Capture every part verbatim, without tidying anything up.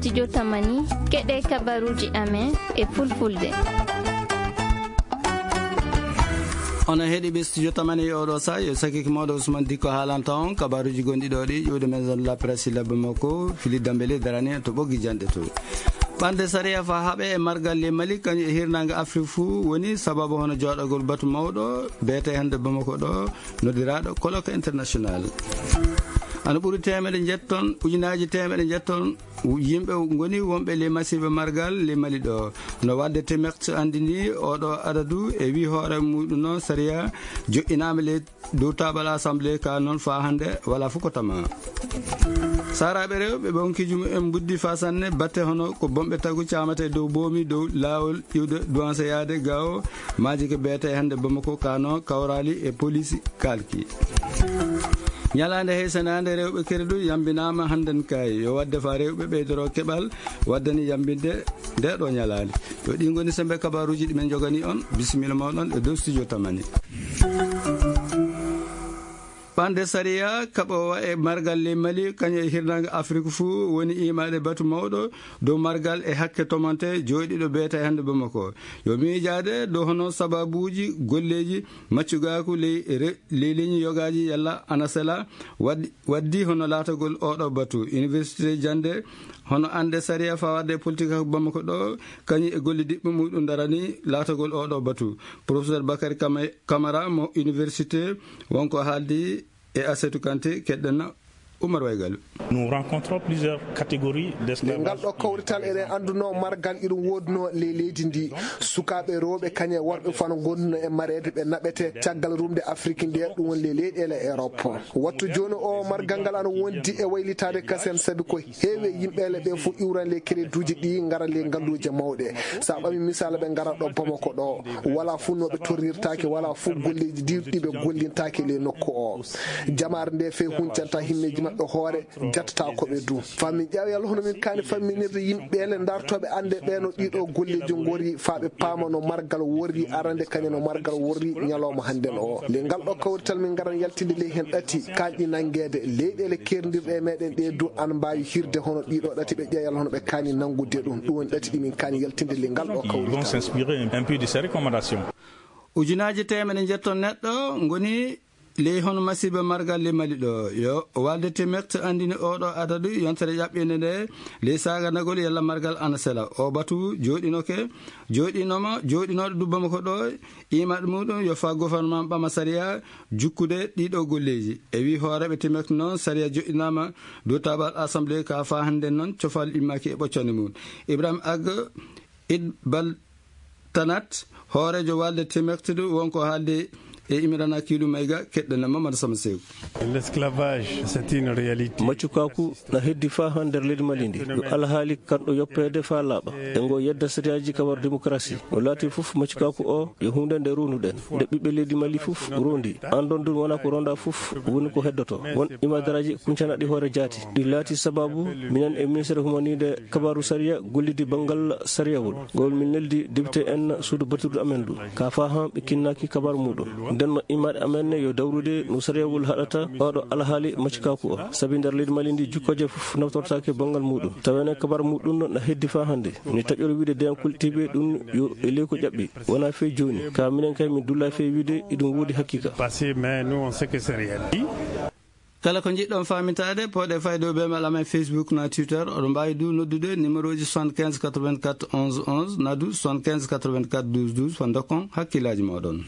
Studio Tamani, keɗe kabaruji amen e fulfulde. Onon heɗiiɓe Studio Tamani e oɗo sa, yo sakiki mawɗo Ousmane Dikko haalanta on kabaruji gonɗi ɗo ɗi ƴuwde maison de la presse labbe makko, Philippe Dambélé darani en to ɓoggi janɗe to. Ɓande sariya fa haɓe e margal le Mali, kañum e hirnaange Afrik fuu woni sababu hono jooɗagol batu mawɗo beete hannde Bamako ɗo, noddiraaɗo colloque international. Ana ɓuri teemeɗe njetton, ujunaaji teemeɗe njetton yimɓe ngoni wonɓe le masiiba margal le Mali ɗo. No wadde Timex anndini oɗo adadu e wi hoore muɗum noon sariya joɗɗinaama le dow taabal assemblée ka noon faa hannde wala fof ko tama. Saaraaɓe rewɓe ɓe onkiiji mumen mbuddi faa sanne batte hono ko bomɓe tagu caamate dow boomi dow laawol iwde duwanse yaade gawo maaji ko beete hannde Bamako ka noon kawraali e poliisi kaalki. Ñalaande heysanaande rewɓe keredu yambinaama hannden kay yo wadde faa rewɓe ɓeydoro keɓal waddani yambinde nde ɗo ñalaande. Yo ɗi ngoni sembe kabaruuji ɗi men njogani on. Bisimilla mooɗon e dow studio Tamani. Ɓande sariya kaɓoowa e margal le Mali kañum e hirnaange Afrik fuu woni imaade batu mawɗo dow margal e hakke tomante jooɗiiɗo beete hannde Bamako. Yo miijaade dow hono sababuuji golleeji maccugaaku ley re-, ley leñi yogaaji yalla ana sela waddi, waddi hono laatagol oɗo batu. Université jannde hono annde sariya fawaade e politique hakko Bamako ɗo, kañum e golle diɓɓe muɗum darani laatagol oɗo batu. Professeur Bakary Kama-, Camara mo université wonko haaldi e Assetou Kanté, keɗɗen Oumar Waygal. Nous rencontrons plusieurs catégories d'esclavage. Ngal ɗo kawrital eɗen annduno margal iɗum woodno ley leydi ndi. Sukaaɓe rewɓe kañum e worɓe fof no ngonduno e mareede ɓe naɓete caggal rumde Afrik nde ɗum woni ley leyɗeele Europe. Wattu jooni o margal ngal ana wondi e waylitaade kasen sabi ko heewi e yimɓeele ɓe fof iwran ley kereduuji ɗi ngara ley ngalluuje mawɗe. Sa ɓami misaala ɓe ngara ɗo Bamako ɗo wala fof no ɓe torrirtaake wala fof golleeji ɗi ɗi ɓe gollintaake ley nokku o. Jamaare nde fey huncanta himmeeji maɓɓe hoore jattata ko ɓe du. Faa min ƴaawi Yalla hono min kaani famminirde yimɓeele dartooɓe annde ɓe no ɗiɗo golleeji ngori faa ɓe paama no margal worri arande kañum no margal worri ñalawma hannden o. Ley ngal ɗo kawrital min ngaran yaltinde ley heen ɗati kaanɗi nanngeede leyɗeele keerndirɗe e meɗen ɗe du ana mbaawi hirde hono ɗiɗo ɗati ɓe ƴeewa Yalla hono ɓe kaani nanngude ɗum. Ɗum woni ɗati ɗi min kaani yaltinde ley ngal ɗo kawrital. Ils vont s'inspirer un peu de ces recommandations. Ujunaaji teemedde njetton neɗɗo ngoni ley hono masiiba margal le Mali ɗo. Yo walde Timex anndini oɗo adadu yontere ƴaɓɓinde nde ley saganagol yalla margal ana sela. O batu jooɗinoke, jooɗinoma, jooɗinooɗo du Bamako ɗo, imaɗo muɗum yo faa gouvernement ɓama sariya jukkude ɗiɗo golleeji. E wi hooreɓe Timex noon sariya joɗɗinama dow taabal assemblée ka faa hannden noon cofal immaki e ɓoccande mum. Ibrahim Ag Id Bal Tanat, hooreejo walde Timex du wonko haalde e Imrana Kilu Mayga, keɗɗen Mamadou Sama Sew. L'esclavage, c'est une réalité. Maccukaaku na heddi faa haa nder leydi Mali ndi. Yo alhaali kanɗo yoppeede faa laaɓa. E ngo yedda sariyaaji kawar démocratie. No laati fof maccukaaku o yo huunde nde ronduɗen. Nde ɓiɓɓe leydi Mali fof rondi. Andon dun wona ko ronda fof woni ko heddoto. Won imadaraaji kuncanaɗi hoore jaati. Ɗi laati sababu minen e ministre humanide kabaru sariya gollidi banngal sariyawol. Ngol min neldi député en suudu batirdu amen ndu. Ka faa han ɓe kinnaaki kabaru muɗum. Nden no imaade amen ne yo dawrude no sariyawol haɗata oɗo alhaali maccukaaku o. Sabi nder leydi Mali ndi jukkooje fof naftortaake banngal muɗum. Tawene kabaru muɗum no na heddi faa hannde. Ni taƴoro wiide deyankol tiibe ɗum yo e ley ko ƴaɓɓi. Wona fey jooni. Ka minen kay min dulla fey wiide iɗum woodi haqiqa. Passé, mais nous, on sait que c'est réel. Kala ko njiɗɗon faamintaade, pooɗe fayde o bee mail amen Facebook na Twitter. Oɗon mbaawi du noddude numéro ji soixante-quinze quatre-vingt-quatre onze onze, na du soixante-quinze quatre-vingt-quatre douze douze, faa ndokkon hakkillaaji mooɗon.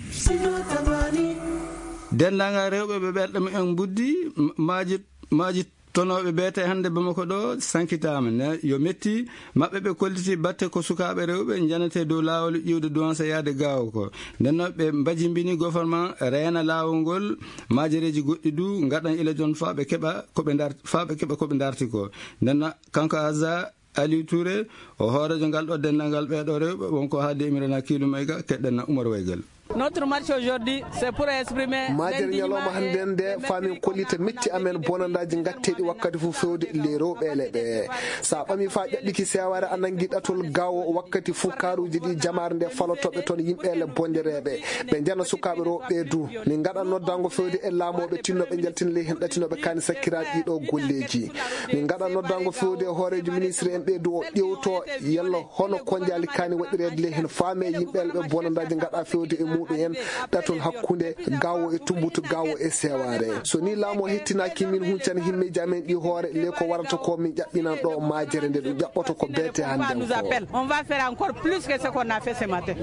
Denndaangal rewɓe ɓe ɓerɗe mumen mbuddi, m-, maaji, maaji tonooɓe beete hannde Bamako ɗo sankitaama. Ne yo metti maɓɓe ɓe kolliti batte ko sukaaɓe rewɓe njanete dow laawol iwde duwanse yaade gaawo ko. Nden noon ɓe mbajimbini gouvernement reena laawol ngol, maajereeji goɗɗi du ngaɗan ila jon faa ɓe keɓa ko ɓe ndar-, faa ɓe keɓa ko ɓe ndarti ko. Nden noon kanko Aza Aliou Touré, o hooreejo ngal ɗo denndaangal ɓee ɗo rewɓe, wonko haaldi e Imrana Kiilu Mayga, keɗɗen na Umar Waygal. Notre marche aujourd'hui, c'est pour exprimer maajere ñalawma hannde nde, faamin kollita metti amen bonandaaji ngatteeɗi wakkati fof fewde ley rewɓe ele ɓe. So a ɓami faa ƴaɓɓiki seewaare, a nanngi ɗatol gaawo wakkati fof kaaruuji ɗi jamaare nde falotooɓe toon yimɓe ele bondereeɓe. Ɓe njana sukaaɓe rewɓe du. Min ngaɗa noddaango fewde e laamooɓe tinnooɓe njaltina ley heen ɗatinooɓe kaani sakkiraaɓe ɗiɗo golleeji. Min ngaɗa noddaango fewde e hooreejo ministre en ɓe du o ƴewto yalla hono konjaali kaani waɗireede ley heen faame yimɓe ele ɓe bonandaaji ngaɗa fewde e muɗum en ɗatol hakkunde gawo e tumbutu gawo e sewaare. So ni laamu o hettinaaki min huncana himmeeji amen ɗi hoore ley ko warata ko min ƴaɓɓinan ɗo maajere nde ɗum ƴaɓɓoto ko beete hannde on ko. On va faire encore plus que ce qu'on a fait ce matin.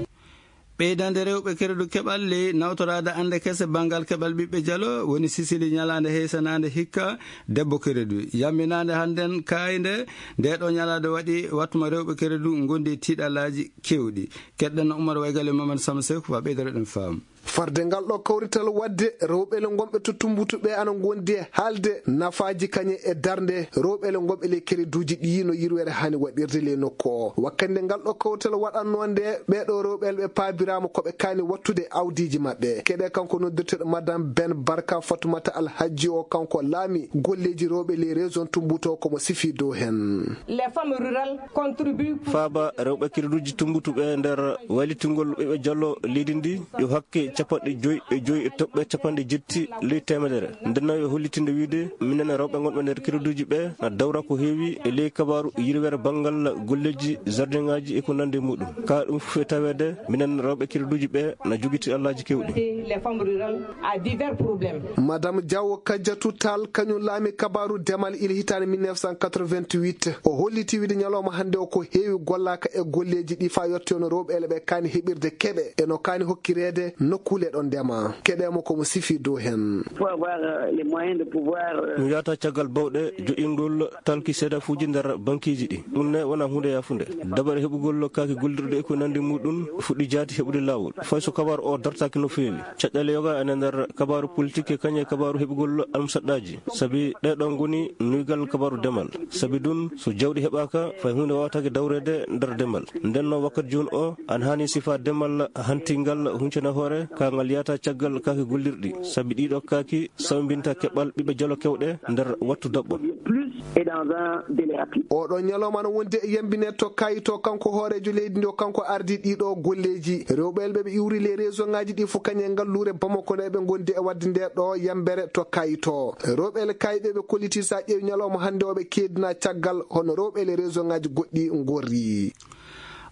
Ɓeydande rewɓe keredu keɓal ley nawtoraade annde kese banngal keɓal ɓiɓɓe jalo woni sisili ñalaande heysanaande hikka debbo keredu. Yamminaande hannden kaaynde nde ɗo ñalaande waɗi wattuma rewɓe keredu ngondi e tiiɗalaaji keewɗi. Keɗɗen no Umar Waygal e Mamadou Samba Seck faa ɓeydoro ɗen faamu. Farde ngal ɗo kawrital waɗde rewɓe le ngonɓe to Tumbutu ɓe ana ngondi e haalde nafaaji kañe e darnde rewɓe le ngonɓe ley kereduuji ɗi no yirwere hani waɗirde ley nokku o. Wakkande ngal ɗo kawrital waɗanno nde ɓee ɗo rewɓe le ɓe paabiraama ko ɓe kaani wattude awdiiji maɓɓe. Keɗe kanko noddirteɗo Madame Ben Barka Fatoumata Alhaji o kanko laami golleeji rewɓe ley région Tumbutu o komo sifi dow heen. Les femmes rurales contribuent pour faaba rewɓe kereduuji Tumbutu ɓe nder waylitingol ɓiɓɓe jalo leydi ndi yo hakke capanɗe joyi e joyi e toɓɓe capanɗe jetti ley teemedere. Ndenno yo hollitinde wiide minen rewɓe ngonɓe nder kereduuji ɓe na dawra ko heewi e ley kabaaru yirwere banngal golleeji jardin ŋaaji e ko nanndi e muɗum. Ka ɗum fof e taweede minen rewɓe kereduuji ɓe na jogiti allaaji keewɗi. Les femmes rurales à divers problèmes. Madame Diaw Kadiatou Tall kañum laami kabaaru demal il hitaande mille neuf cent quatre-vingt-huit. O holliti wiide ñalawma hannde o ko heewi gollaaka e golleeji ɗi faa yotti no rewɓe ele ɓe kaani heɓirde keɓe e no kaani hokkireede nokkuule ɗo ndema. Keɗe mo ko mo sifi dow heen. Pour avoir, euh, les moyens de pouvoir, euh, ɗum yahata caggal bawɗe joƴƴingol talki seedafuuji nder bankiiji ɗi. Ɗum ne wona huunde yaafunde. Dabare heɓugol kaaki gollirɗe e ko nanndi muɗum fuɗɗi jaati heɓude laawol. Fay so kabaaru o dartaaki no feewi. Caɗɗale yoga ene nder kabaaru politik e kañe kabaaru heɓugol almusaɗɗaaji. Sabi ɗe ɗo ngoni nuygal kabaaru demal. Sabi ɗum so jawɗi heɓaaka fay huunde waawataake dawreede nder demal. Nden no wakkati jooni o ana haani sifa demal hantingal huncana hoore ka ngal yahata caggal kaaki gollirɗi. Sabi ɗiɗo kaaki sawmbinta keɓal ɓiɓɓe jalo kewɗe nder wattu daɓɓo. Plus et dans un délai rapide. Oɗo ñalawma no wondi e yambine to kayito kanko hooreejo leydi ndi o kanko ardi ɗiɗo golleeji. Rewɓe elɓe ɓe iwri les région ngaji ɗi fof kañe ngalluure Bamako nde ɓe gondi e wadde nde ɗo yambere to kayito. Rewɓe ele kayɓe ɓe kolliti sa ƴeewi ñalawma hannde o ɓe keedina caggal hono rewɓe ele région ngaji goɗɗi ngorri.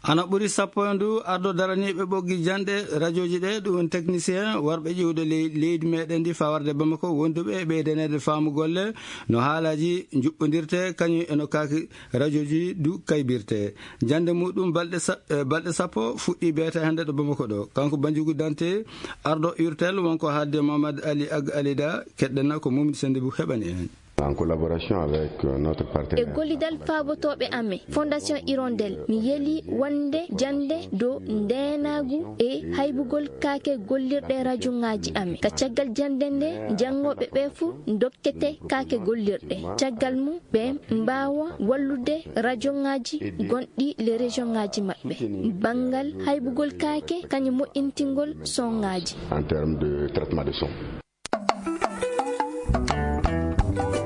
Ana ɓuri sappo e ndu ardo daraniiɓe ɓoggi janɗe rajooji ɗe, ɗum woni technicien warɓe ƴiwde ley-, leydi meɗen ndi faa warde Bamako, wonduɓe e ɓeydaneede faamu golle no haalaaji njuɓɓodirte, kañum e no kaaki rajooji du kaybirte. Jannde muɗum balɗe sa-, eh, balɗe sappo fuɗɗi beete hannde ɗo Bamako ɗo. Kanko Banjugu Dante, ardo urtel, wonko haalde Mohamed Ali Ag Alida, keɗɗena ko Mumdi Sendi bu heɓani en. En collaboration avec, euh, notre partenaire. E gollidal faabotooɓe amen, Fondation Hirondelle, mi yeli wonde jannde dow ndeenaagu e haybugol kaake gollirɗe rajoŋaaji amen. Ka caggal jannde nde, janngooɓe ɓe fuu ndokkete kaake gollirɗe. Caggal mum, ɓe mbaawa wallude rajoŋaaji gonɗi le région ŋaaji maɓɓe. Banngal haybugol kaake, kañum moƴƴintingol soŋaaji. En termes de traitement de son.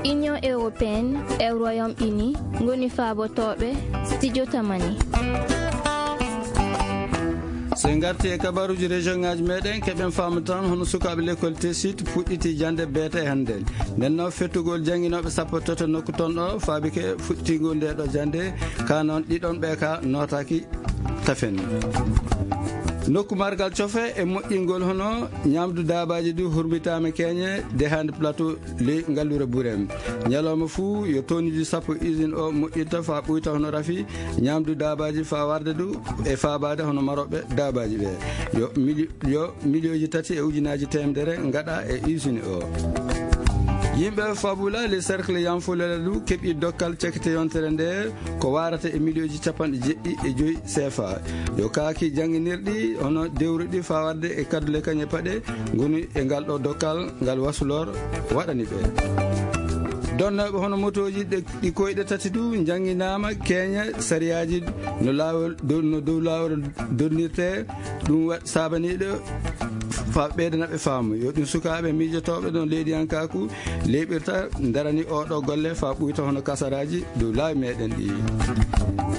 Union européenne e Royaume-Uni ngoni faabotooɓe Studio Tamani. So en ngarti e kabaruuji région ŋaaji meɗen, keɓen faamu tan hono sukaaɓe l'école Tessit puɗɗiti jannde beete hannde. Nden noon fettugol jannginooɓe sappo e tati nokku toon ɗo faabike fuɗɗitingol nde ɗo jannde, ka noon ɗiɗon ɓe ka nootaaki tafen. Nokku margal cofe e moƴƴingol hono ñaamdu daabaaji du hurmitaama keñe de hannde plateau ley ngalluure Burem. Ñalawma fuu yo tonnuji sappo usine o moƴƴinta faa ɓuyta hono rafi ñaamdu daabaaji faa warde du e faabaade hono marooɓe daabaaji ɓe. Yo mili-, yo miliyooji tati e ujunaaji teemedere ngaɗa e usine o. Yimɓe Fabula, le cercle Yanfolele du keɓi dokkal cakite yontere nde ko waarata e miliyooji capanɗe jeɗɗi e joyi C F A. Yo kaaki jannginirɗi hono dewruɗi faa warde e kaddule kañe paɗe ngoni e ngal ɗo dokkal ngal wasulor waɗani ɓe. Donnooɓe hono motooji ɗe, ɗi koyɗe tati du njannginaama keñe sariyaaji no laawol dow, no dow laawol donnirte. Ɗum wa-, saabaniiɗo Fa ɓeydana ɓe faamu yo ɗum sukaaɓe miijotooɓe ɗon leydiyankaaku leeɓirta, darani oɗo golle fa ɓuyta hono kasaraaji dow laawi meɗen ɗi.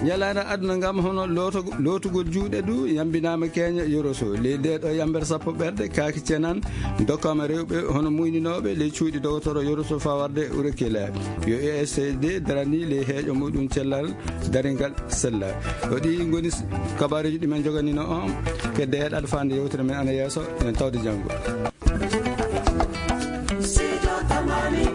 Ñalaande aduna ngam hono looto- lootugol juuɗe du yambinaama keña yoroso ley nde ɗo yambere sappo ɓerɗe kaaki cenan dokkama rewɓe hono muyninooɓe ley cuuɗi dogotoro yoroso fa warde urekila. Yo escd darani ley heeƴo muɗum cellal daringal sella. O ɗi ngoni s- kabaruji ɗi men joganino on. Kedde heɗaɗo fande yewtere men ana yeeso. En tawde janngo. Sijo tamani.